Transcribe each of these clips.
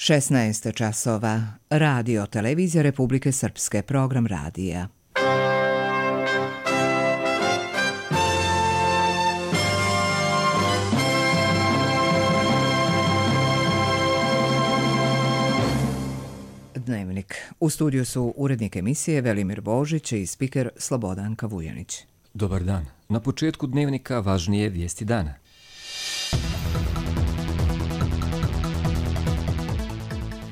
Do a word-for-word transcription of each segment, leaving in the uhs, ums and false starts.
šesnaest časova. Radio Televizija Republike Srpske, program radija. Dnevnik. U studiju su urednik emisije Velimir Božić i spiker Slobodanka Vujanić. Dobar dan. Na početku dnevnika važnije vijesti dana.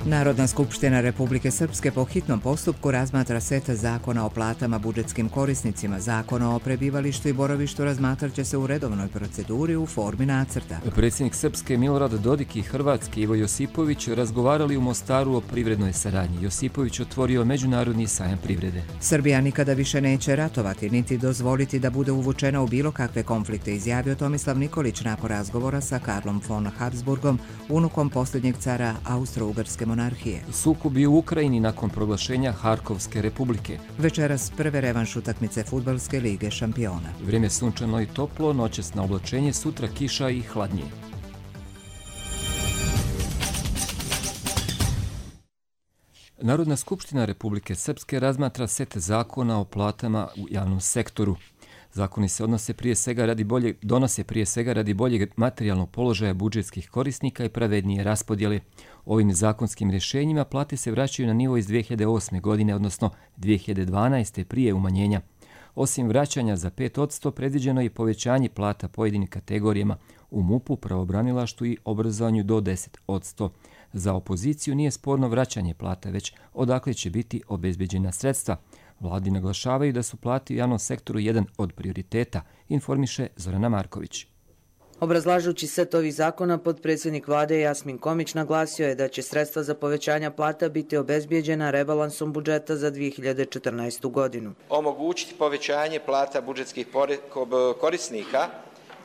Narodna skupština Republike Srpske po hitnom postupku razmatra set zakona o platama budžetskim korisnicima. Zakona o prebivalištu i boravištu razmatrat će se u redovnoj proceduri u formi nacrta. Predsjednik Srpske Milorad Dodik i Hrvatske Ivo Josipović razgovarali u Mostaru o privrednoj saradnji. Josipović otvorio međunarodni sajam privrede. Srbija nikada više neće ratovati, niti dozvoliti da bude uvučena u bilo kakve konflikte, izjavio Tomislav Nikolić nakon razgovora sa Karlom von Habsburgom, unukom posljednjeg cara Austro-Ugarske monarhije. Sukobi u Ukrajini nakon proglašenja Harkovske republike. Večeras prve revanš utakmice Fudbalske lige šampiona. Vrijeme sunčano i toplo, noćasno oblačenje, sutra kiša i hladnije. Narodna skupština Republike Srpske razmatra set zakona o platama u javnom sektoru. Zakoni se odnose prije svega radi bolje, donose prije svega radi boljeg materijalnog položaja budžetskih korisnika i pravednije raspodjele. Ovim zakonskim rješenjima plate se vraćaju na nivo iz dvije hiljade osme. godine, odnosno dvije hiljade dvanaeste. prije umanjenja. Osim vraćanja za pet posto, predviđeno je povećanje plata pojedinim kategorijama u MUP-u, pravobranilaštvu i obrazovanju do deset posto. Za opoziciju nije sporno vraćanje plata, već odakle će biti obezbeđena sredstva. Vladi naglašavaju da su plate u javnom sektoru jedan od prioriteta, informiše Zorana Marković. Obrazlažući set ovih zakona, potpredsjednik vlade Jasmin Komić naglasio je da će sredstva za povećanja plata biti obezbijeđena rebalansom budžeta za dvije hiljade četrnaestu. godinu. Omogućiti povećanje plata budžetskih korisnika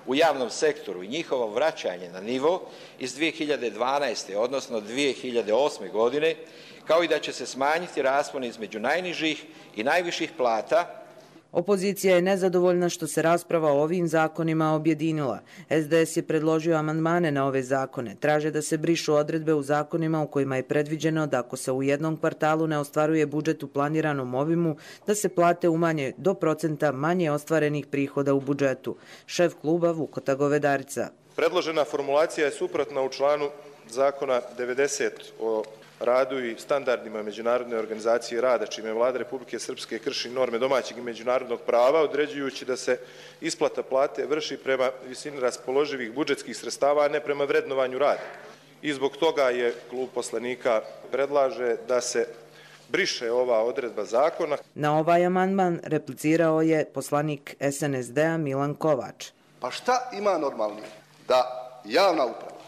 u javnom sektoru i njihovo vraćanje na nivo iz dvije hiljade dvanaeste. odnosno dvije hiljade osme. godine, kao i da će se smanjiti raspon između najnižih i najviših plata. Opozicija je nezadovoljna što se rasprava o ovim zakonima objedinila. es de es je predložio amandmane na ove zakone. Traže da se brišu odredbe u zakonima u kojima je predviđeno da ako se u jednom kvartalu ne ostvaruje budžet u planiranom obimu, da se plate umanje do procenta manje ostvarenih prihoda u budžetu. Šef kluba Vukota Govedarica. Predložena formulacija je suprotna u članu zakona devedeset o radu i standardima Međunarodne organizacije rada, čime Vlada Republike Srpske krši norme domaćeg i međunarodnog prava, određujući da se isplata plate vrši prema visini raspoloživih budžetskih sredstava, a ne prema vrednovanju rada. I zbog toga je klub poslanika predlaže da se briše ova odredba zakona. Na ovaj amandman replicirao je poslanik es en es de-a Milan Kovač. Pa šta ima normalnije da javna uprava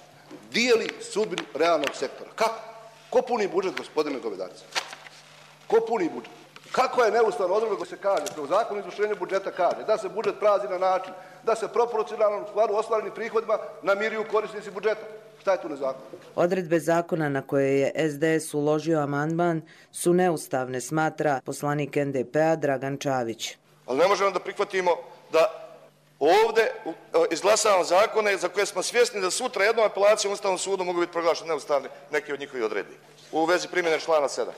dijeli sudbinu realnog sektora? Kako? Ko puni budžet, gospodine Govedarica? Ko puni budžet? Kako je neustavna odredba koja se kaže, u zakonu o izvršenju budžeta kaže da se budžet prazi na način da se proporcionalno u skladu ostvarenim prihodima namiruju korisnici budžeta? Šta je tu nezakonito? Odredbe zakona na koje je es de es uložio amandman su neustavne, smatra poslanik en de pe-a Dragan Čavić. Ali ne možemo da prihvatimo da ovdje izglasavamo zakone za koje smo svjesni da sutra jednom apelacijom Ustavnom sudu mogu biti proglašeni neustavni neki od njihovih odredbi u vezi primjene člana sedam.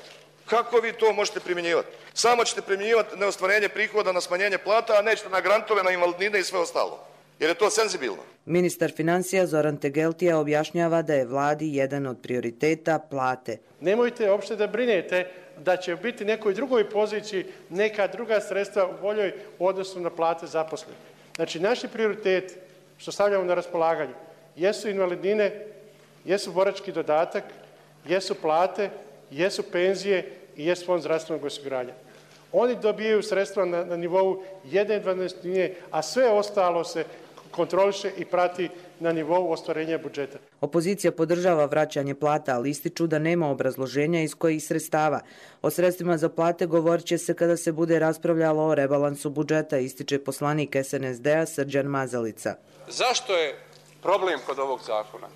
Kako vi to možete primjenjivati? Samo ćete primjenjivati neostvarenje prihoda na smanjenje plata, a nećete na grantove, na invalidnine i sve ostalo. Jer je to senzibilno. Ministar financija Zoran Tegeltija objašnjava da je vladi jedan od prioriteta plate. Nemojte uopšte da brinete da će biti nekoj drugoj poziciji neka druga sredstva u boljoj odnosu na plate zaposlenih. Znači, naši prioriteti što stavljamo na raspolaganju jesu invalidnine, jesu borački dodatak, jesu plate, jesu penzije i jesu fond zdravstvenog osiguranja. Oni dobijaju sredstva na, na nivou jedne dvanaestine, a sve ostalo se kontroliše i prati na nivou ostvarenja budžeta. Opozicija podržava vraćanje plata, ali ističu da nema obrazloženja iz kojih sredstava. O sredstvima za plate govorit će se kada se bude raspravljalo o rebalansu budžeta, ističe poslanik es en es de-a Srđan Mazalica. Zašto je problem kod ovog zakona?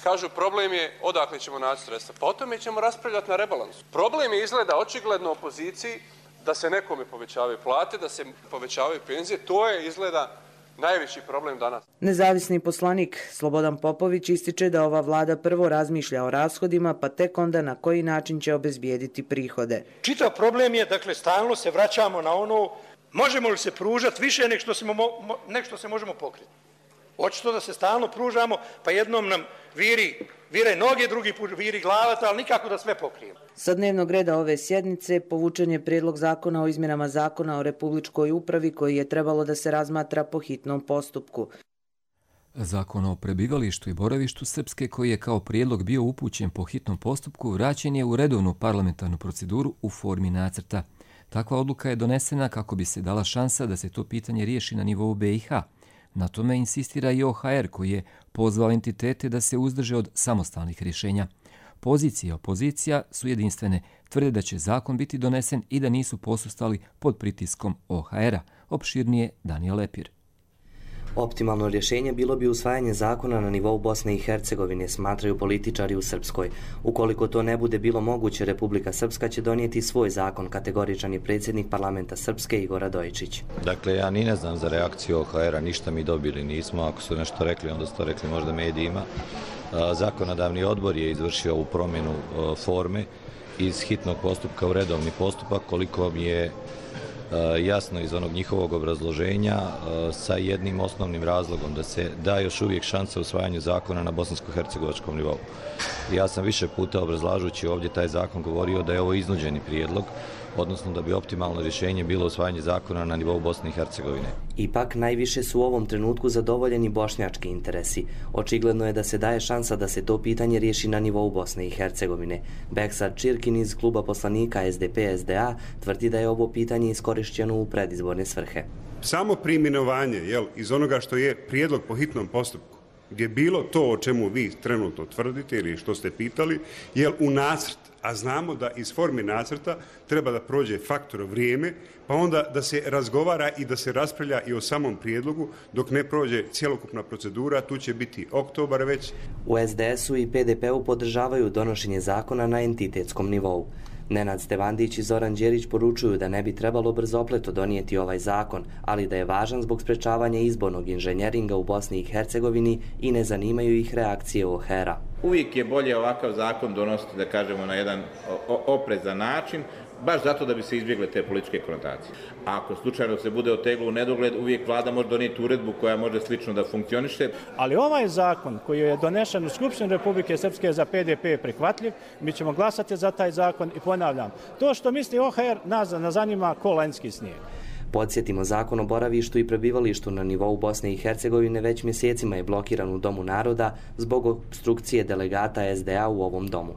Kažu, problem je odakle ćemo naći sredstva. Pa o tome ćemo raspravljati na rebalansu. Problem je izgleda očigledno opoziciji da se nekome povećavaju plate, da se povećavaju penzije. To je izgleda najveći problem danas. Nezavisni poslanik Slobodan Popović ističe da ova vlada prvo razmišlja o rashodima, pa tek onda na koji način će obezbijediti prihode. Čitav problem je, dakle, stalno se vraćamo na ono, možemo li se pružati više nek što se, mo, nek što se možemo pokriti. Očito da se stalno pružamo, pa jednom nam viri, vire noge, drugi put viri glavata, ali nikako da sve pokrijemo. Sa dnevnog reda ove sjednice povučen je prijedlog zakona o izmjenama zakona o Republičkoj upravi koji je trebalo da se razmatra po hitnom postupku. Zakon o prebivalištu i boravištu Srpske, koji je kao prijedlog bio upućen po hitnom postupku, vraćen je u redovnu parlamentarnu proceduru u formi nacrta. Takva odluka je donesena kako bi se dala šansa da se to pitanje riješi na nivou be i ha. Na tome insistira i o ha er, koji je pozvao entitete da se uzdrže od samostalnih rješenja. Pozicija i opozicija su jedinstvene, tvrde da će zakon biti donesen i da nisu posustali pod pritiskom o ha era. Opširnije Danijel Lepir. Optimalno rješenje bilo bi usvajanje zakona na nivou Bosne i Hercegovine, smatraju političari u Srpskoj. Ukoliko to ne bude bilo moguće, Republika Srpska će donijeti svoj zakon, kategoričan je predsjednik parlamenta Srpske Igor Radojičić. Dakle, ja ni ne znam za reakciju o ha era, ništa mi dobili nismo. Ako su nešto rekli, onda su to rekli možda medijima. Zakonodavni odbor je izvršio ovu promjenu forme iz hitnog postupka u redovni postupak, koliko mi je jasno iz onog njihovog obrazloženja, sa jednim osnovnim razlogom, da se da još uvijek šansa usvajanju zakona na bosansko-hercegovačkom nivou. Ja sam više puta obrazlažući ovdje taj zakon govorio da je ovo iznuđeni prijedlog, odnosno da bi optimalno rješenje bilo usvajanje zakona na nivou Bosne i Hercegovine. Ipak, najviše su u ovom trenutku zadovoljeni bošnjački interesi. Očigledno je da se daje šansa da se to pitanje riješi na nivou Bosne i Hercegovine. Beksad Čirkin iz kluba poslanika es de pe es de a tvrdi da je ovo pitanje iskorišćeno u predizborne svrhe. Samo preimenovanje, jel, iz onoga što je prijedlog po hitnom postupku, gdje bilo to o čemu vi trenutno tvrdite ili što ste pitali, jel u nacrt, a znamo da iz forme nacrta treba da prođe faktor vrijeme, pa onda da se razgovara i da se raspravlja i o samom prijedlogu dok ne prođe cjelokupna procedura, tu će biti oktobar već. U es de esu i pe de pe u podržavaju donošenje zakona na entitetskom nivou. Nenad Stevandić i Zoran Đerić poručuju da ne bi trebalo brzopleto donijeti ovaj zakon, ali da je važan zbog sprečavanja izbornog inženjeringa u Bosni i Hercegovini i ne zanimaju ih reakcije o ha era. Uvijek je bolje ovakav zakon donositi, da kažemo, na jedan oprezan način, baš zato da bi se izbjegle te političke konotacije. A ako slučajno se bude oteglo u nedogled, uvijek vlada može donijeti uredbu koja može slično da funkcioniše. Ali ovaj zakon koji je donešen u Skupštini Republike Srpske za pe de pe je prihvatljiv, mi ćemo glasati za taj zakon i ponavljam, to što misli o ha er nas ne zanima ko lanjski snijeg. Podsjetimo, zakon o boravištu i prebivalištu na nivou Bosne i Hercegovine već mjesecima je blokiran u Domu naroda zbog obstrukcije delegata es de a u ovom domu.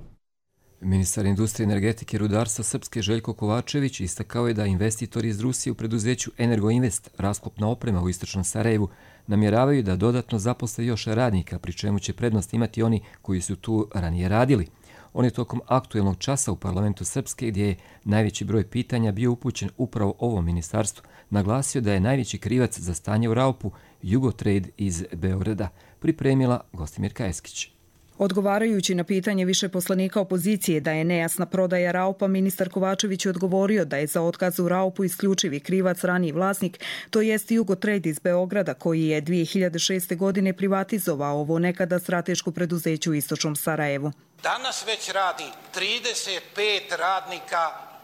Ministar industrije, energetike i rudarstva Srpske Željko Kovačević istakao je da investitori iz Rusije u preduzeću Energoinvest, rasklopna oprema u istočnom Sarajevu, namjeravaju da dodatno zaposle još radnika, pri čemu će prednost imati oni koji su tu ranije radili. On je tokom aktuelnog časa u parlamentu Srpske, gdje je najveći broj pitanja bio upućen upravo ovom ministarstvu, naglasio da je najveći krivac za stanje u Raupu Jugotrade iz Beograda, pripremila Gostimirka Eskić. Odgovarajući na pitanje više poslanika opozicije da je nejasna prodaja Raupa, ministar Kovačević je odgovorio da je za otkaz u Raupu isključivi krivac raniji vlasnik, to jest Jugotrade iz Beograda, koji je dvije hiljade šeste. godine privatizovao ovo nekada strateško preduzeće u istočnom Sarajevu. Danas već radi trideset pet radnika,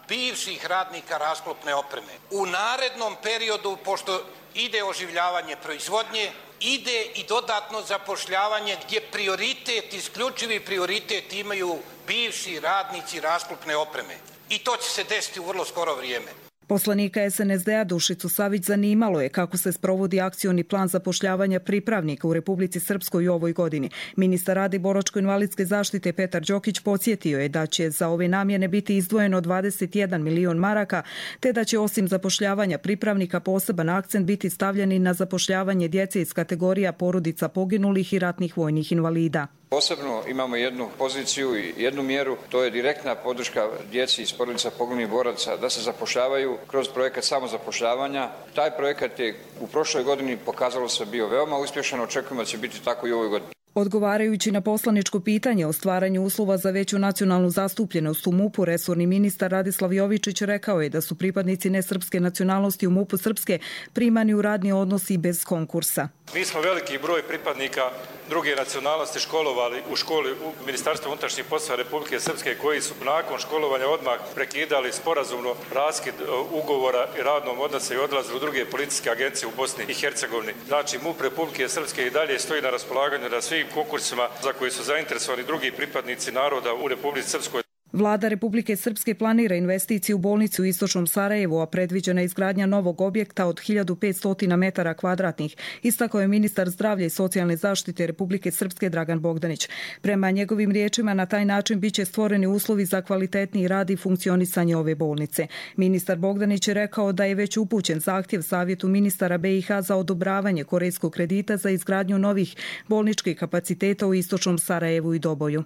bivših radnika rasklopne opreme. U narednom periodu, pošto ide oživljavanje proizvodnje, ide i dodatno zapošljavanje gdje prioritet, isključivi prioritet imaju bivši radnici rasklopne opreme. I to će se desiti u vrlo skoro vrijeme. Poslanika es en es de a Dušicu Savić zanimalo je kako se sprovodi akcioni plan zapošljavanja pripravnika u Republici Srpskoj u ovoj godini. Ministar rada i boračko-invalidske zaštite Petar Đokić podsjetio je da će za ove namjene biti izdvojeno dvadeset jedan milion maraka, te da će osim zapošljavanja pripravnika poseban akcent biti stavljen i na zapošljavanje djece iz kategorija porodica poginulih i ratnih vojnih invalida. Posebno imamo jednu poziciju i jednu mjeru, to je direktna podrška djeci iz porodica poginulih boraca da se zapošljavaju kroz projekat samozapošljavanja. Taj projekat je u prošloj godini pokazalo se bio veoma uspješan, očekujemo da će biti tako i u ovoj godini. Odgovarajući na poslaničko pitanje o stvaranju uslova za veću nacionalnu zastupljenost u MUP-u, resorni ministar Radislav Jovičić rekao je da su pripadnici nesrpske nacionalnosti u MUP-u Srpske primani u radni odnos i bez konkursa. Mi smo veliki broj pripadnika druge nacionalnosti školovali u školi u Ministarstvu unutrašnjih poslova Republike Srpske koji su nakon školovanja odmah prekidali sporazumno raskid ugovora i radnom odnosu i odlazili u druge policijske agencije u Bosni i Hercegovini. Znači MUP Republike Srpske i dalje stoji na raspolaganju na svim konkursima za koji su zainteresovani drugi pripadnici naroda u Republici Srpskoj. Vlada Republike Srpske planira investiciju u bolnicu u istočnom Sarajevu, a predviđena je izgradnja novog objekta od hiljadu petsto metara kvadratnih, istakao je ministar zdravlja i socijalne zaštite Republike Srpske Dragan Bogdanić. Prema njegovim riječima, na taj način biće stvoreni uslovi za kvalitetniji rad i funkcionisanje ove bolnice. Ministar Bogdanić je rekao da je već upućen zahtjev Savjetu ministara be i ha za odobravanje korejskog kredita za izgradnju novih bolničkih kapaciteta u istočnom Sarajevu i Doboju.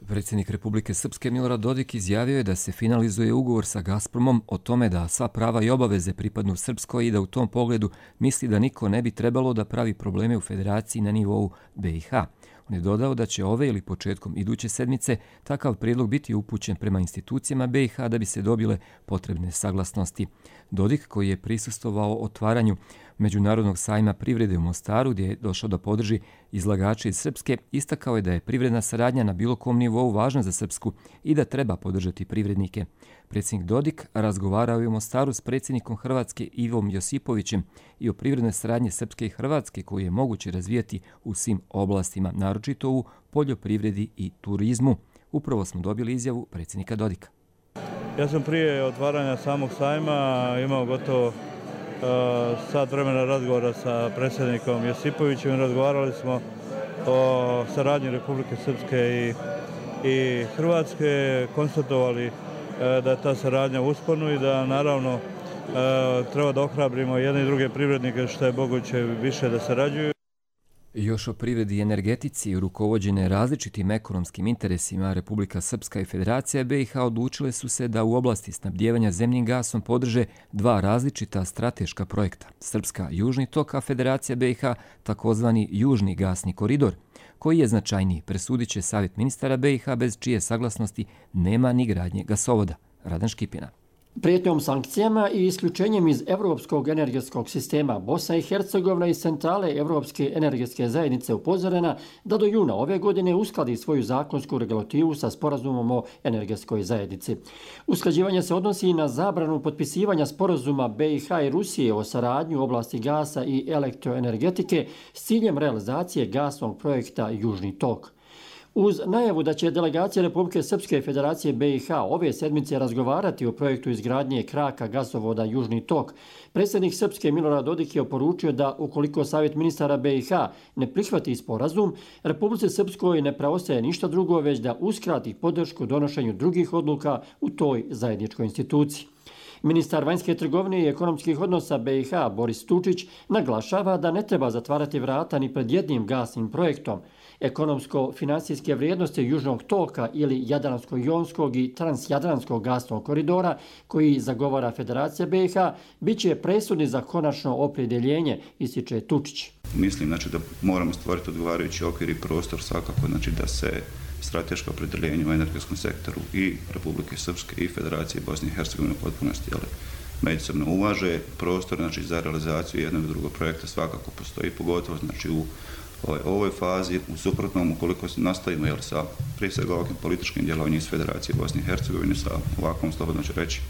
Predsjednik Republike Srpske Milorad Dodik izjavio je da se finalizuje ugovor sa Gazpromom o tome da sva prava i obaveze pripadnu Srpskoj i da u tom pogledu misli da niko ne bi trebalo da pravi probleme u federaciji na nivou be i ha. On je dodao da će ove ili početkom iduće sedmice takav prijedlog biti upućen prema institucijama be i ha da bi se dobile potrebne saglasnosti. Dodik, koji je prisustvovao otvaranju Međunarodnog sajma privrede u Mostaru, gdje je došao da podrži izlagače iz Srpske, istakao je da je privredna saradnja na bilo kom nivou važna za Srpsku i da treba podržati privrednike. Predsjednik Dodik razgovarao je u Mostaru s predsjednikom Hrvatske Ivom Josipovićem i o privrednoj saradnji Srpske i Hrvatske koju je moguće razvijati u svim oblastima, naročito u poljoprivredi i turizmu. Upravo smo dobili izjavu predsjednika Dodika. Ja sam prije otvaranja samog sajma imao gotovo sat vremena razgovora sa predsjednikom Josipovićem. Razgovarali smo o saradnji Republike Srpske i, i Hrvatske, konstatovali da je ta saradnja u usponu i da naravno treba da ohrabrimo jedne i druge privrednike što je moguće više da sarađuju. Još o privredi i energetici, rukovođene različitim ekonomskim interesima, Republika Srpska i Federacija be i ha odlučile su se da u oblasti snabdijevanja zemljim gasom podrže dva različita strateška projekta. Srpska Južni tok, a Federacija be i ha takozvani Južni gasni koridor. Koji je značajniji, presudit će Savjet ministara be i ha bez čije saglasnosti nema ni gradnje gasovoda. Radan Škipina. Prijetnjom sankcijama i isključenjem iz Evropskog energetskog sistema Bosna i Hercegovina iz centrale Evropske energetske zajednice upozorena da do juna ove godine uskladi svoju zakonsku regulativu sa sporazumom o energetskoj zajednici. Usklađivanje se odnosi i na zabranu potpisivanja sporazuma be i ha i Rusije o saradnji u oblasti gasa i elektroenergetike s ciljem realizacije gasnog projekta Južni tok. Uz najavu da će delegacija Republike Srpske i Federacije be i ha ove sedmice razgovarati o projektu izgradnje kraka gasovoda Južni tok, predsjednik Srpske Milorad Dodik je oporučio da ukoliko Savjet ministara be i ha ne prihvati sporazum, Republici Srpskoj ne preostaje ništa drugo već da uskrati podršku donošenju drugih odluka u toj zajedničkoj instituciji. Ministar vanjske trgovine i ekonomskih odnosa be i ha Boris Tučić naglašava da ne treba zatvarati vrata ni pred jednim gasnim projektom. Ekonomsko-finansijske vrijednosti Južnog toka ili Jadransko-jonskog i Transjadranskog gasnog koridora koji zagovara Federacija be i ha bit će presudni za konačno opredjeljenje, ističe Tučić. Mislim znači, da moramo stvoriti odgovarajući okvir i prostor svakako znači, da se strateško opredjeljenje u energetskom sektoru i Republike Srpske i Federacije Bosne i Hercegovine u potpunosti ali međusobno uvaže. Prostor znači, za realizaciju jednog i drugog projekta svakako postoji, pogotovo znači, u ovoj, ovoj fazi. U suprotnom, ukoliko nastavimo jel, sa prije svega ovakvim političkim djelovanjem iz Federacije Bosne i Hercegovine sa ovakvom, slobodno ću reći,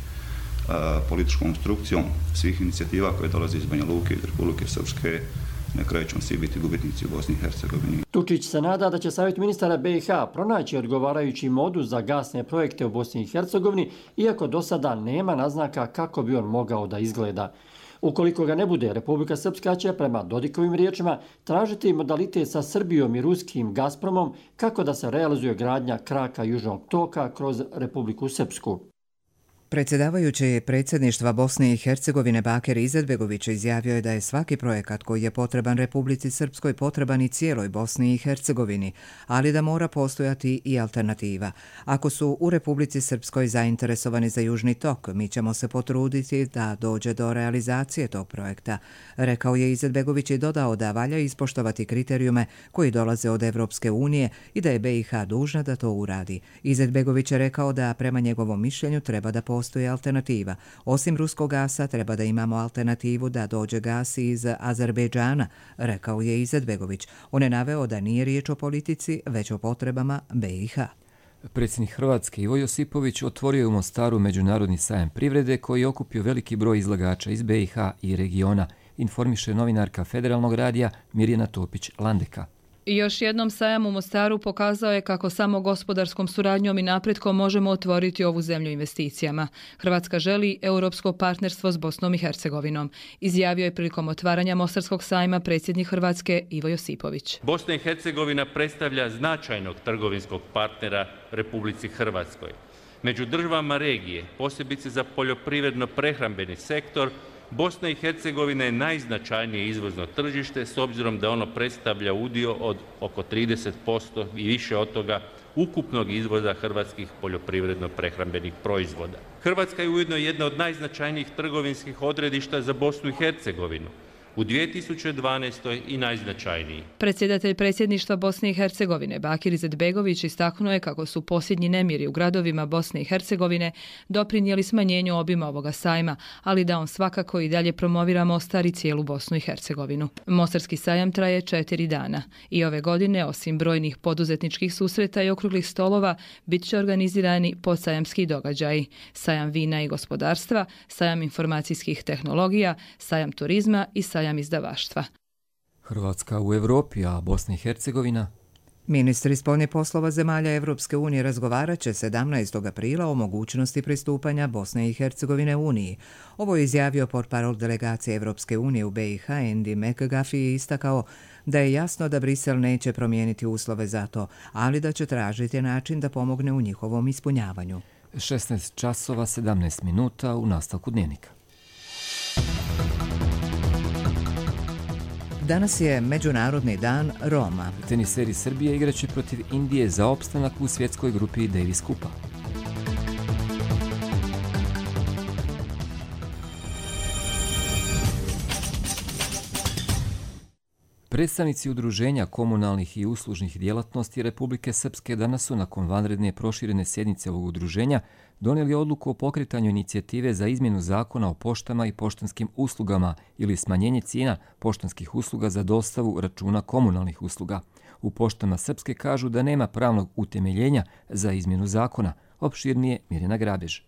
a, političkom instrukcijom svih inicijativa koje dolaze iz Banja Luke i iz Republike Srpske, na kraju ćemo svi biti gubitnici u Bosni i Hercegovini. Tučić se nada da će Savjet ministara be i ha pronaći odgovarajući modus za gasne projekte u Bosni i Hercegovini, iako do sada nema naznaka kako bi on mogao da izgleda. Ukoliko ga ne bude, Republika Srpska će, prema Dodikovim riječima, tražiti modalitet sa Srbijom i ruskim Gazpromom kako da se realizuje gradnja kraka Južnog toka kroz Republiku Srpsku. Predsjedavajući predsjedništva Bosne i Hercegovine Bakir Izetbegović izjavio je da je svaki projekat koji je potreban Republici Srpskoj potreban i cijeloj Bosni i Hercegovini, ali da mora postojati i alternativa. Ako su u Republici Srpskoj zainteresovani za Južni tok, mi ćemo se potruditi da dođe do realizacije tog projekta, rekao je Izetbegović i dodao da valja ispoštovati kriterijume koji dolaze od Evropske unije i da je B i H dužna da to uradi. Izetbegović je rekao da prema njegovom mišljenju treba da postoji alternativa. Osim ruskog gasa, treba da imamo alternativu da dođe gas iz Azerbejdžana, rekao je Izetbegović. On je naveo da nije riječ o politici, već o potrebama B i H. Predsjednik Hrvatske Ivo Josipović otvorio je u Mostaru međunarodni sajam privrede koji je okupio veliki broj izlagača iz B i H i regiona, informiše novinarka Federalnog radija Mirjana Topić-Landeka. I još jednom sajam u Mostaru pokazao je kako samo gospodarskom suradnjom i napretkom možemo otvoriti ovu zemlju investicijama. Hrvatska želi europsko partnerstvo s Bosnom i Hercegovinom, izjavio je prilikom otvaranja Mostarskog sajma predsjednik Hrvatske Ivo Josipović. Bosna i Hercegovina predstavlja značajnog trgovinskog partnera Republici Hrvatskoj. Među državama regije, posebice za poljoprivredno-prehrambeni sektor, Bosna i Hercegovina je najznačajnije izvozno tržište s obzirom da ono predstavlja udio od oko trideset posto i više od toga ukupnog izvoza hrvatskih poljoprivredno-prehrambenih proizvoda. Hrvatska je ujedno jedna od najznačajnijih trgovinskih odredišta za Bosnu i Hercegovinu. U dvije tisuće dvanaestoj i najznačajniji. Predsjedatelj predsjedništva Bosne i Hercegovine Bakir Izetbegović istaknuo je kako su posljednji nemiri u gradovima Bosne i Hercegovine doprinijeli smanjenju obima ovoga sajma, ali da on svakako i dalje promovira Mostar i cijelu Bosnu i Hercegovinu. Mostarski sajam traje četiri dana i ove godine, osim brojnih poduzetničkih susreta i okruglih stolova, bit će organizirani podsajamski događaji, sajam vina i gospodarstva, sajam informacijskih tehnologija, sajam turizma i sajam izdavaštva. Hrvatska u Europi, a Bosna i Hercegovina? Ministri spoljnih poslova zemalja Evropske unije razgovarat će sedamnaestog aprila o mogućnosti pristupanja Bosne i Hercegovine Uniji. Ovo je izjavio portparol delegacije Evropske unije u B i H Andy McGuffey i istakao da je jasno da Brisel neće promijeniti uslove za to, ali da će tražiti način da pomogne u njihovom ispunjavanju. šesnaest časova sedamnaest minuta u nastavku dnevnika. Danas je Međunarodni dan Roma. Teniseri Srbije igraće protiv Indije za opstanak u svjetskoj grupi Davis Kupa. Predstavnici udruženja komunalnih i uslužnih djelatnosti Republike Srpske danas su nakon vanredne proširene sjednice ovog udruženja donijeli odluku o pokretanju inicijative za izmjenu zakona o poštama i poštanskim uslugama ili smanjenje cijena poštanskih usluga za dostavu računa komunalnih usluga. U Poštama Srpske kažu da nema pravnog utemeljenja za izmjenu zakona. Opširnije Mirjana Grabež.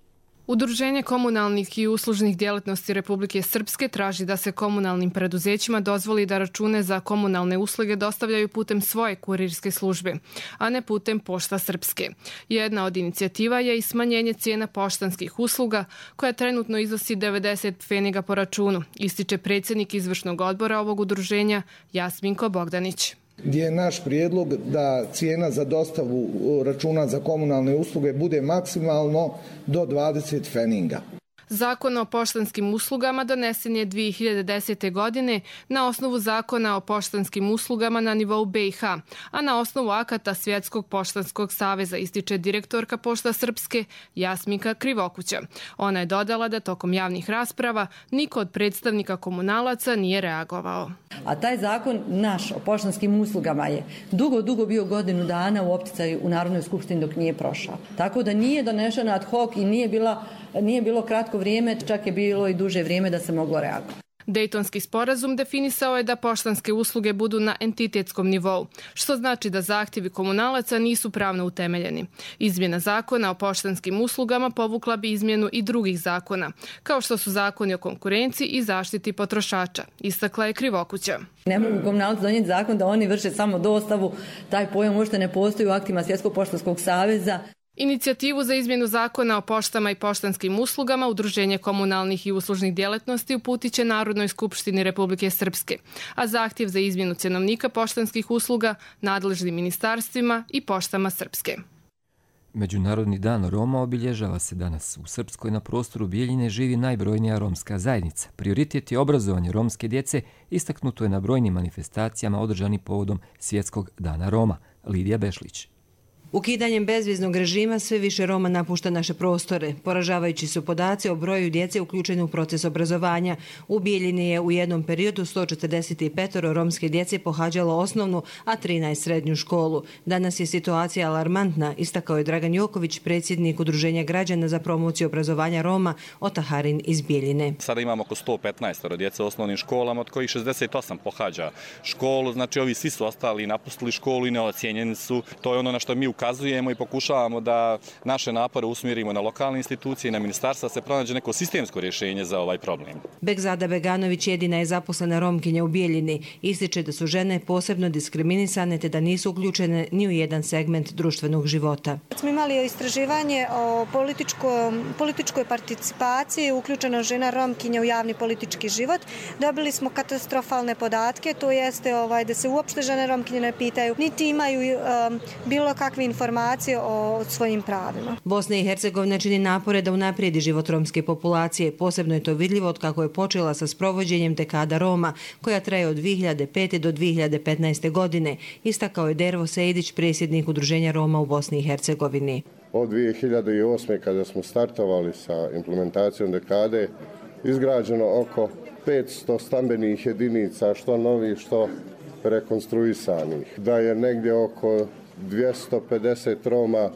Udruženje komunalnih i uslužnih djelatnosti Republike Srpske traži da se komunalnim preduzećima dozvoli da račune za komunalne usluge dostavljaju putem svoje kurirske službe, a ne putem Pošta Srpske. Jedna od inicijativa je i smanjenje cijena poštanskih usluga, koja trenutno iznosi devedeset pfeniga po računu, ističe predsjednik izvršnog odbora ovog udruženja Jasminko Bogdanić. Gdje je naš prijedlog da cijena za dostavu računa za komunalne usluge bude maksimalno do dvadeset pfeninga. Zakon o poštanskim uslugama donesen je dvije hiljade desete. godine na osnovu Zakona o poštanskim uslugama na nivou B i H, a na osnovu akata Svjetskog poštanskog saveza, ističe direktorka Pošta Srpske Jasminka Krivokuća. Ona je dodala da tokom javnih rasprava niko od predstavnika komunalaca nije reagovao. A taj zakon naš o poštanskim uslugama je dugo, dugo bio godinu dana u opticaju u Narodnoj skupštini dok nije prošao. Tako da nije donešena ad hoc i nije, bila, nije bilo kratko vrijeme, čak je bilo i duže vrijeme da se moglo reagovati. Dejtonski sporazum definisao je da poštanske usluge budu na entitetskom nivou, što znači da zahtjevi komunalaca nisu pravno utemeljeni. Izmjena zakona o poštanskim uslugama povukla bi izmjenu i drugih zakona, kao što su zakoni o konkurenciji i zaštiti potrošača, istakla je Krivokuća. Ne mogu komunalci donijeti zakon da oni vrše samo dostavu, taj pojam uopšte ne postoji u aktima Svjetskog poštanskog saveza. Inicijativu za izmjenu zakona o poštama i poštanskim uslugama Udruženje komunalnih i uslužnih djelatnosti uputit će Narodnoj skupštini Republike Srpske, a zahtjev za izmjenu cjenovnika poštanskih usluga nadležnim ministarstvima i Poštama Srpske. Međunarodni dan Roma obilježava se danas. U Srpskoj na prostoru Bijeljine živi najbrojnija romska zajednica. Prioritet je obrazovanje romske djece, istaknuto je na brojnim manifestacijama održani povodom Svjetskog dana Roma. Lidija Bešlić. Ukidanjem bezviznog režima sve više Roma napušta naše prostore. Poražavajući su podaci o broju djece uključeni u proces obrazovanja. U Bijeljini je u jednom periodu sto četrdeset pet romske djece pohađalo osnovnu, a trinaest srednju školu. Danas je situacija alarmantna, istakao je Dragan Joković, predsjednik Udruženja građana za promociju obrazovanja Roma Otaharin iz Bijeljine. Sada imamo oko sto petnaest djece u osnovnim školama, od kojih šezdeset osam pohađa školu. Znači ovi svi su ostali i napustili školu i neocijenjeni su. To je ono na što mi ukazujemo i pokušavamo da naše napore usmjerimo na lokalne institucije i na ministarstva se pronađe neko sistemsko rješenje za ovaj problem. Begzada Beganović jedina je zaposlena Romkinja u Bijeljini. Ističe da su žene posebno diskriminisane te da nisu uključene ni u jedan segment društvenog života. Smo imali istraživanje o političkoj participaciji uključena žena Romkinja u javni politički život. Dobili smo katastrofalne podatke, to jeste ovaj, da se uopšte žene Romkinje ne pitaju, niti imaju um, bilo kakve informacije o svojim pravima. Bosna i Hercegovina čini napore da unaprijedi život romske populacije. Posebno je to vidljivo od kako je počela sa sprovođenjem dekada Roma, koja traje od dvije hiljade pete do dvije hiljade petnaeste. godine. Istakao je Dervo Sejdić, predsjednik Udruženja Roma u Bosni i Hercegovini. Od dvije hiljade osme. kada smo startovali sa implementacijom dekade, izgrađeno oko petsto stambenih jedinica, što novih, što rekonstruisanih. Da je negdje oko dvjesto pedeset Roma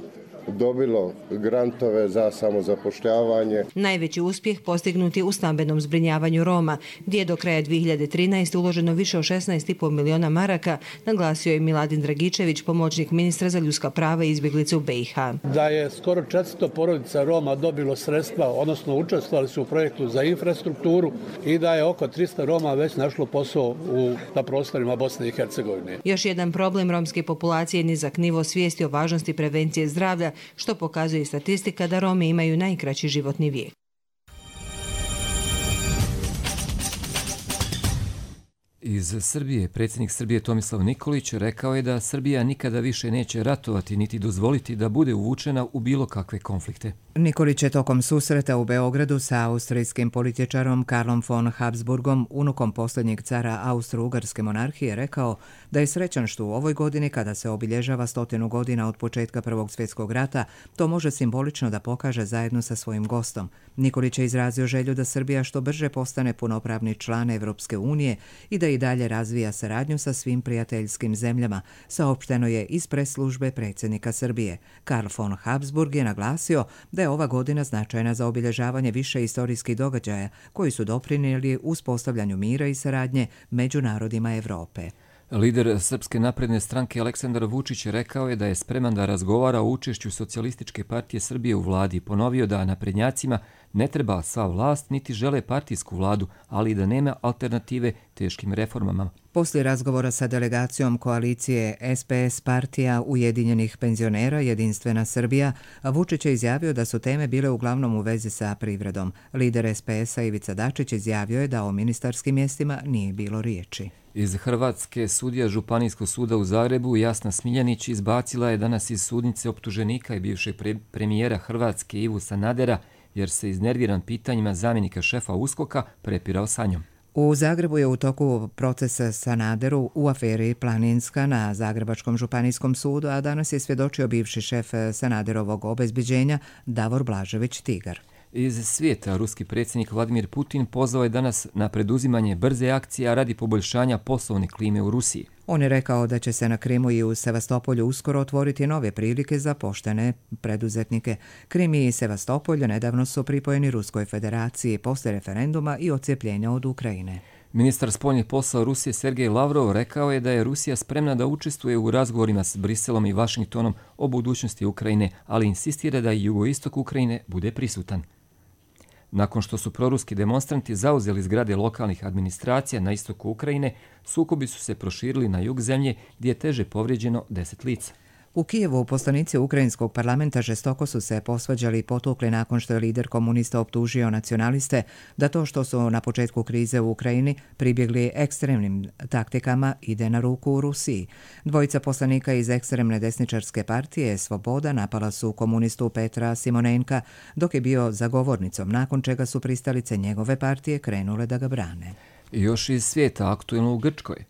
dobilo grantove za samozapošljavanje. Najveći uspjeh postignut je u stambenom zbrinjavanju Roma, gdje je do kraja dvije hiljade trinaeste. uloženo više od šesnaest i pol miliona maraka, naglasio je Miladin Dragičević, pomoćnik ministra za ljudska prava i izbjeglice u B i H. Da je skoro četiristo porodica Roma dobilo sredstva, odnosno učestvovali su u projektu za infrastrukturu i da je oko tristo Roma već našlo posao u, na prostorima Bosne i Hercegovine. Još jedan problem romske populacije je nizak nivo svijesti o važnosti prevencije zdravlja, što pokazuje statistika da Romi imaju najkraći životni vijek. Iz Srbije predsjednik Srbije Tomislav Nikolić rekao je da Srbija nikada više neće ratovati niti dozvoliti da bude uvučena u bilo kakve konflikte. Nikolić je tokom susreta u Beogradu sa austrijskim političarom Karlom von Habsburgom, unukom posljednjeg cara Austro-Ugarske monarhije, rekao da je srećan što u ovoj godini, kada se obilježava stotinu godina od početka Prvog svjetskog rata, to može simbolično da pokaže zajedno sa svojim gostom. Nikolić je izrazio želju da Srbija što brže postane punopravni član Evropske unije i da i dalje razvija saradnju sa svim prijateljskim zemljama, saopšteno je iz press-službe predsjednika Srbije. Karl von Habsburg je naglasio da je ova godina značajna za obilježavanje više istorijskih događaja koji su doprinijeli uspostavljanju mira i saradnje među narodima Evrope. Lider Srpske napredne stranke Aleksandar Vučić rekao je da je spreman da razgovara o učešću Socijalističke partije Srbije u vladi. Ponovio da naprednjacima ne treba sva vlast, niti žele partijsku vladu, ali i da nema alternative teškim reformama. Poslije razgovora sa delegacijom koalicije S P S partija Ujedinjenih penzionera Jedinstvena Srbija, Vučić je izjavio da su teme bile uglavnom u vezi sa privredom. Lider S P S-a Ivica Dačić izjavio je da o ministarskim mjestima nije bilo riječi. Iz Hrvatske sudija Županijskog suda u Zagrebu Jasna Smiljanić izbacila je danas iz sudnice optuženika i bivšeg pre premijera Hrvatske Ivu Sanadera, jer se iznerviran pitanjima zamjenika šefa USKOK-a prepirao sa njom. U Zagrebu je u toku procesa Sanaderu u aferi Planinska na Zagrebačkom županijskom sudu, a danas je svjedočio bivši šef Sanaderovog obezbeđenja Davor Blažević Tigar. Iz svijeta ruski predsjednik Vladimir Putin pozvao je danas na preduzimanje brze akcije radi poboljšanja poslovne klime u Rusiji. On je rekao da će se na Krimu i u Sevastopolju uskoro otvoriti nove prilike za poštene preduzetnike. Krim i Sevastopolj nedavno su pripojeni Ruskoj federaciji posle referenduma i odcijepljenja od Ukrajine. Ministar spoljnih poslova Rusije Sergej Lavrov rekao je da je Rusija spremna da učestvuje u razgovorima s Briselom i Vašingtonom o budućnosti Ukrajine, ali insistira da i jugoistok Ukrajine bude prisutan. Nakon što su proruski demonstranti zauzeli zgrade lokalnih administracija na istoku Ukrajine, sukobi su se proširili na jug zemlje gdje je teže povrijeđeno deset lica. U Kijevu poslanici Ukrajinskog parlamenta žestoko su se posvađali i potukli nakon što je lider komunista optužio nacionaliste da to što su na početku krize u Ukrajini pribjegli ekstremnim taktikama ide na ruku u Rusiji. Dvojica poslanika iz ekstremne desničarske partije Svoboda napala su komunistu Petra Simonenka dok je bio zagovornicom, nakon čega su pristalice njegove partije krenule da ga brane. I još iz svijeta aktuelno u Grčkoj.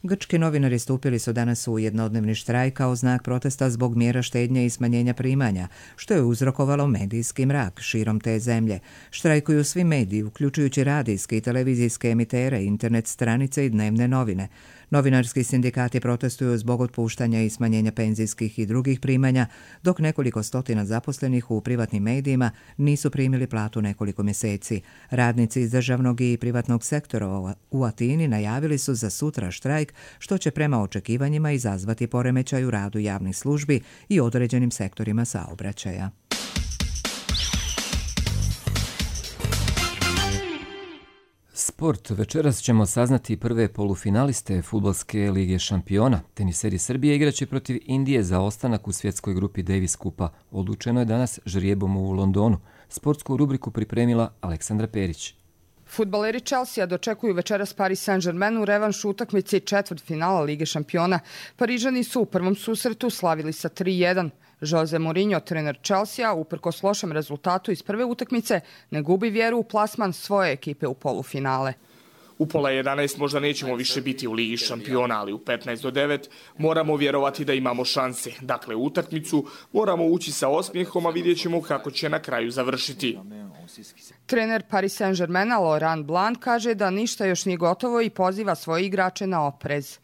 Grčki novinari stupili su danas u jednodnevni štrajk kao znak protesta zbog mjera štednje i smanjenja primanja, što je uzrokovalo medijski mrak širom te zemlje. Štrajkuju svi mediji, uključujući radijske i televizijske emitere, internet stranice i dnevne novine. Novinarski sindikati protestuju zbog otpuštanja i smanjenja penzijskih i drugih primanja, dok nekoliko stotina zaposlenih u privatnim medijima nisu primili platu nekoliko mjeseci. Radnici iz državnog i privatnog sektora u Atini najavili su za sutra štrajk, što će prema očekivanjima izazvati poremećaj u radu javnih službi i određenim sektorima saobraćaja. Sport. Večeras ćemo saznati prve polufinaliste Fudbalske lige šampiona. Teniseri Srbije igraće protiv Indije za ostanak u svjetskoj grupi Davis Kupa. Odlučeno je danas žrijebom u Londonu. Sportsku rubriku pripremila Aleksandra Perić. Fudbaleri Chelsea dočekuju večeras Paris Saint-Germain u revanšu utakmici četvrtfinala Lige šampiona. Parižani su u prvom susretu slavili sa tri jedan. Jose Mourinho, trener Chelsea, uprkos lošem rezultatu iz prve utakmice, ne gubi vjeru u plasman svoje ekipe u polufinale. U pola jedanaest možda nećemo više biti u Ligi šampiona, ali u petnaest do devet moramo vjerovati da imamo šanse. Dakle, u utakmicu moramo ući sa osmijehom, a vidjet ćemo kako će na kraju završiti. Trener Paris Saint-Germaina Laurent Blanc kaže da ništa još nije gotovo i poziva svoje igrače na oprez.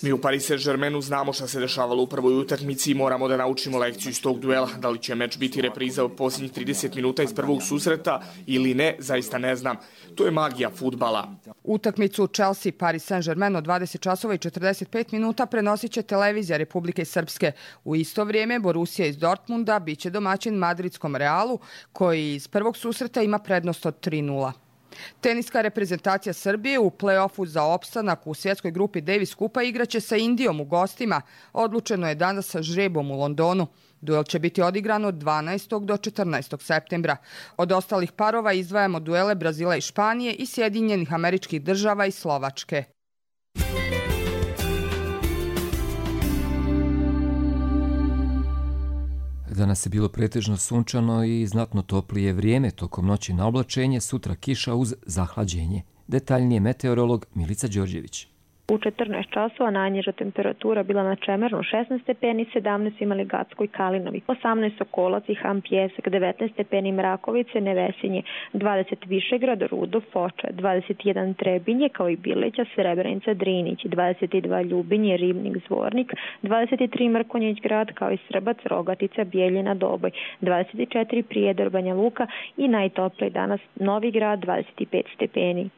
Mi u Paris Saint-Germainu znamo šta se dešavalo u prvoj utakmici i moramo da naučimo lekciju iz tog duela. Da li će meč biti repriza od posljednjih trideset minuta iz prvog susreta ili ne, zaista ne znam. To je magija fudbala. Utakmicu Chelsea Paris Saint-Germain od dvadeset časova i četrdeset pet minuta prenosit će televizija Republike Srpske. U isto vrijeme Borussia iz Dortmunda biće domaćin madridskom Realu, koji iz prvog susreta ima prednost od tri nula. Teniska reprezentacija Srbije u play-offu za opstanak u svjetskoj grupi Davis Kupa igraće sa Indijom u gostima. Odlučeno je danas sa žrebom u Londonu. Duel će biti odigran od dvanaestog do četrnaestog septembra. Od ostalih parova izdvajamo duele Brazila i Španije i Sjedinjenih Američkih Država i Slovačke. Danas je bilo pretežno sunčano i znatno toplije vrijeme, tokom noći na oblačenje, sutra kiša uz zahlađenje. Detaljnije meteorolog Milica Đorđević. U četrnaest časova najniža temperatura bila na Čemernu šesnaest stepeni, sedamnaest imali Gatskoj Kalinovi, osamnaest Sokolac i Ham Pjesak, devetnaest stepeni Mrakovice, Nevesinje, dvadeset Višegrad, Rudo, Foča, dvadeset jedan Trebinje kao i Bileća, Srebrenica, Drinić, dvadeset dva Ljubinje, Ribnik, Zvornik, dvadeset tri Mrkonjić grad kao i Srbac, Rogatica, Bijeljina, Doboj, dvadeset četiri Prijedor, Banja Luka i najtopliji danas Novi Grad, dvadeset pet stepeni.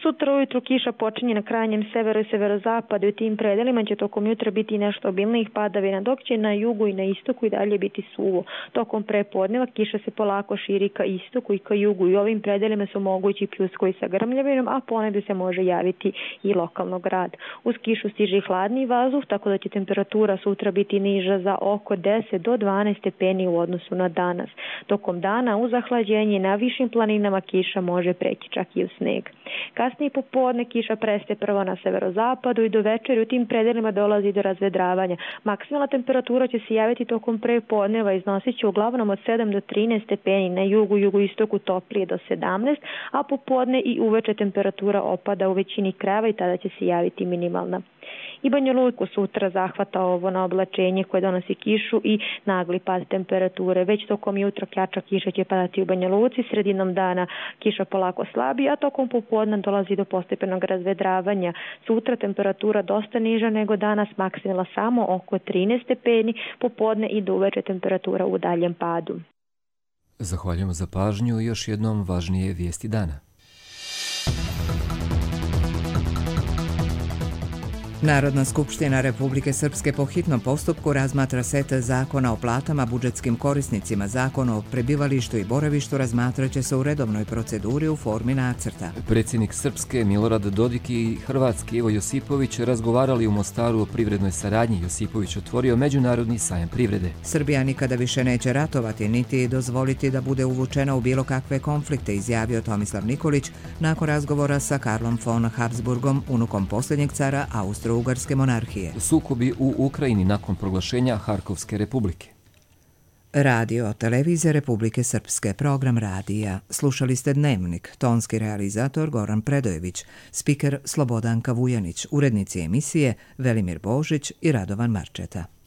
Sutra ujutru kiša počinje na krajnjem severu i severozapadu i u tim predelima će tokom jutra biti nešto obilnijih padavina, dok će na jugu i na istoku i dalje biti suvo. Tokom prepodneva kiša se polako širi ka istoku i ka jugu i ovim predelima su mogući pljuskovi sa grmljavinom, a ponegdje se može javiti i lokalno grad. Uz kišu stiže i hladni vazduh, tako da će temperatura sutra biti niža za oko deset do dvanaest stepeni u odnosu na danas. Tokom dana uz zahlađenje na višim planinama kiša može preći čak i u sneg. Kasnije popodne kiša prestaje prvo na severozapadu i do večeri u tim predelima dolazi do razvedravanja. Maksimalna temperatura će se javiti tokom prepodneva, iznosit će uglavnom od sedam do trinaest stepeni, na jugu, jugoistoku toplije do sedamnaest, a popodne i uveče temperatura opada u većini krajeva i tada će se javiti minimalna. I Banja Luku sutra zahvata ovo na oblačenje koje donosi kišu i nagli pad temperature. Već tokom jutra jača kiša će padati u Banja Luci, sredinom dana kiša polako slabi, a tokom popodne dolazi do postepenog razvedravanja. Sutra temperatura dosta niža nego danas, maksimalna samo oko trinaest stepeni, popodne i do uveče temperatura u daljem padu. Zahvaljujemo za pažnju i još jednom važnije vijesti dana. Narodna skupština Republike Srpske po hitnom postupku razmatra set zakona o platama budžetskim korisnicima. Zakon o prebivalištu i boravištu razmatraće se u redovnoj proceduri u formi nacrta. Predsjednik Srpske Milorad Dodik i Hrvatski Ivo Josipović razgovarali u Mostaru o privrednoj saradnji. Josipović otvorio međunarodni sajam privrede. Srbija nikada više neće ratovati niti dozvoliti da bude uvučena u bilo kakve konflikte, izjavio Tomislav Nikolić nakon razgovora sa Karlom von Habsburgom, unukom posljednjeg cara Austro-Ugarske monarhije. Sukobi u Ukrajini nakon proglašenja Harkovske republike. Radio, televizija Republike Srpske, program radija. Slušali ste Dnevnik, tonski realizator Goran Predojević, spiker Slobodanka Vujanić, urednici emisije Velimir Božić i Radovan Marčeta.